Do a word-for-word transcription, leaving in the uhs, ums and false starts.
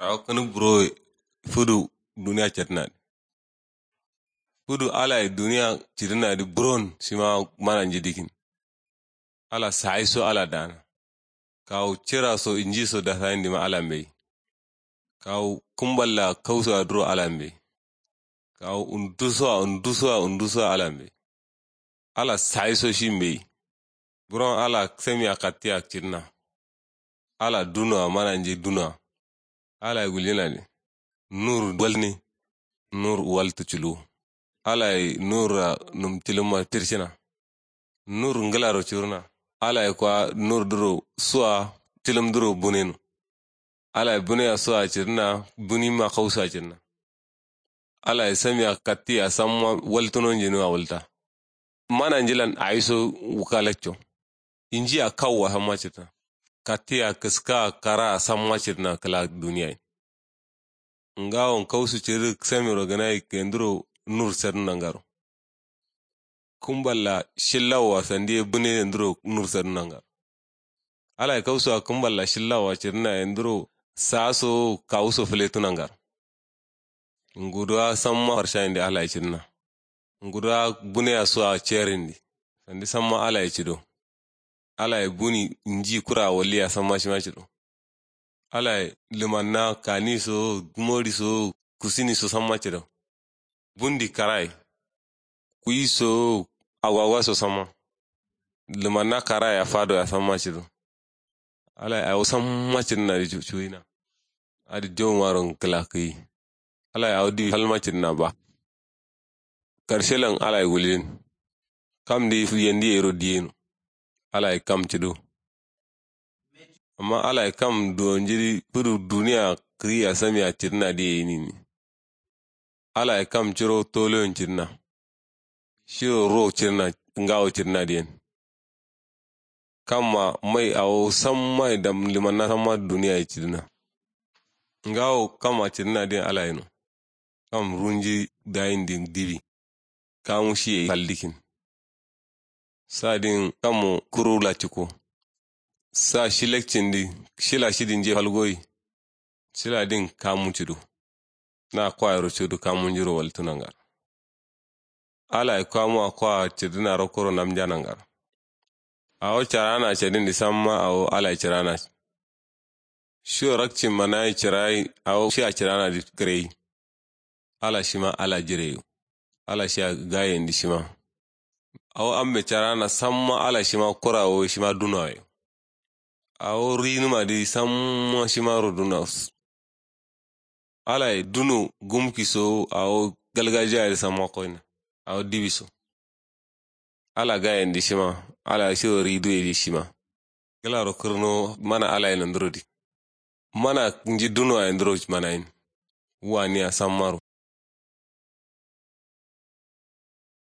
Awo kǝnǝk buro fudu duniya cetǝnadǝ. Fudu alaye duniya cǝdǝnadǝ buron shima mananji dikin. Ala sayiso ala dana. Kawu cira so inji so dasa indima ala mbeyi. Kawu kumballa kauso aduro ala mbeyi. Kawu unduso a unduso a unduso a ala mbeyi. Ala sayiso shi mbeyi. Buron ala samiya kattiya cǝdǝna. Ala dunowa mananji dunowa. Alaye guljǝnadǝ. Nur walni. Nur waltu culuwu. Alaye nurra num cǝlǝmma tircǝna. Nur ngǝlaro curuna. Alaye kwa nur duro suwa cǝlǝm duro buneno. Alaye buneya suwa cǝdǝna. Bunima kausa cǝdǝna. Alaye samiya kattiya samma waltuno njinima walta. Mananjilan ayiso wukalacco. Injiya kawwa samma cǝdǝna. Kattiya kǝska kara samma cǝdǝna kǝla duniyayin. Ngawon kausu cǝdǝ samiro gǝnayi kenduro nur sadǝn nangaro. Kumballa shillawowa sandiye bune yenduro nur sadǝn nangaro. Alaye kausuwa kumballa shillawowa cǝdǝna yenduro saso kawuso fǝletu nangaro. Nguduwa samma farshayinde alaye cǝdǝna. Nguduwa buneya suwa cerindi. Sandi samma alaye cǝdo. Alaye buni nji kura walliya samma shima cǝdo. Alaye lǝmanna kani so gumori so kusini so samma cǝdo. Bundi karaye kuyi so agwagwa so samma. Lǝmanna karaye a fadoya samma cǝdo. Alaye awo samma cǝdǝnadǝ cuwina. Adǝ jaumaro ngǝkǝla kǝyi. Alaye awo diwi falma cǝdǝna ba. Karshelan alaye guljin. Kamdǝ yendi yero diyeno. Alaye kam cǝdo. Amma alaye kam duwonjidǝ fudu duniya kǝyiya samiya cǝdǝnadǝ ye yinini. Alaye kam curo toloyon cǝdǝna. Shiro ro cǝdǝna. Ngawo cǝdǝnadǝ yen. Kamma mai awo samma ye dam lǝmanna samma duniya ye cǝdǝna. Ngawo kamma cǝdǝnadǝ yen alaye no. Kam runji dayindi dibi. Kamu shiye faldikin. Sadin kammo kuru laciko. Sa shi lakcindi shila shidin je falgoyi. Shiladin kamu cǝdo. Na kwayero cǝdo kamunjiro waltǝ nangaro. Alaye kamuwa kwa cǝdǝna rokkoro namja nangaro. Awo carana cadindi samma awo alaye carana. Shiwo rakcin manayi cirayi awo shiya ciranadǝ kǝreyi. Ala shima ala jireyo. Ala shiya gayendǝ shima. Awo ambe carana samma ala shima kurawo shima dunawayo. Awo rinǝmadǝ samma shimaro dunawo. Alaye duno gumki so awo galgajiya dǝ samma koyina. Awo dibi so. Ala gayen dǝ shima. Ala shiro riduye dǝ shima. Gǝlaro kǝrno mana alaye nanduro dǝ. Mana nji duno aye nduro manayin. Waniya sammaro.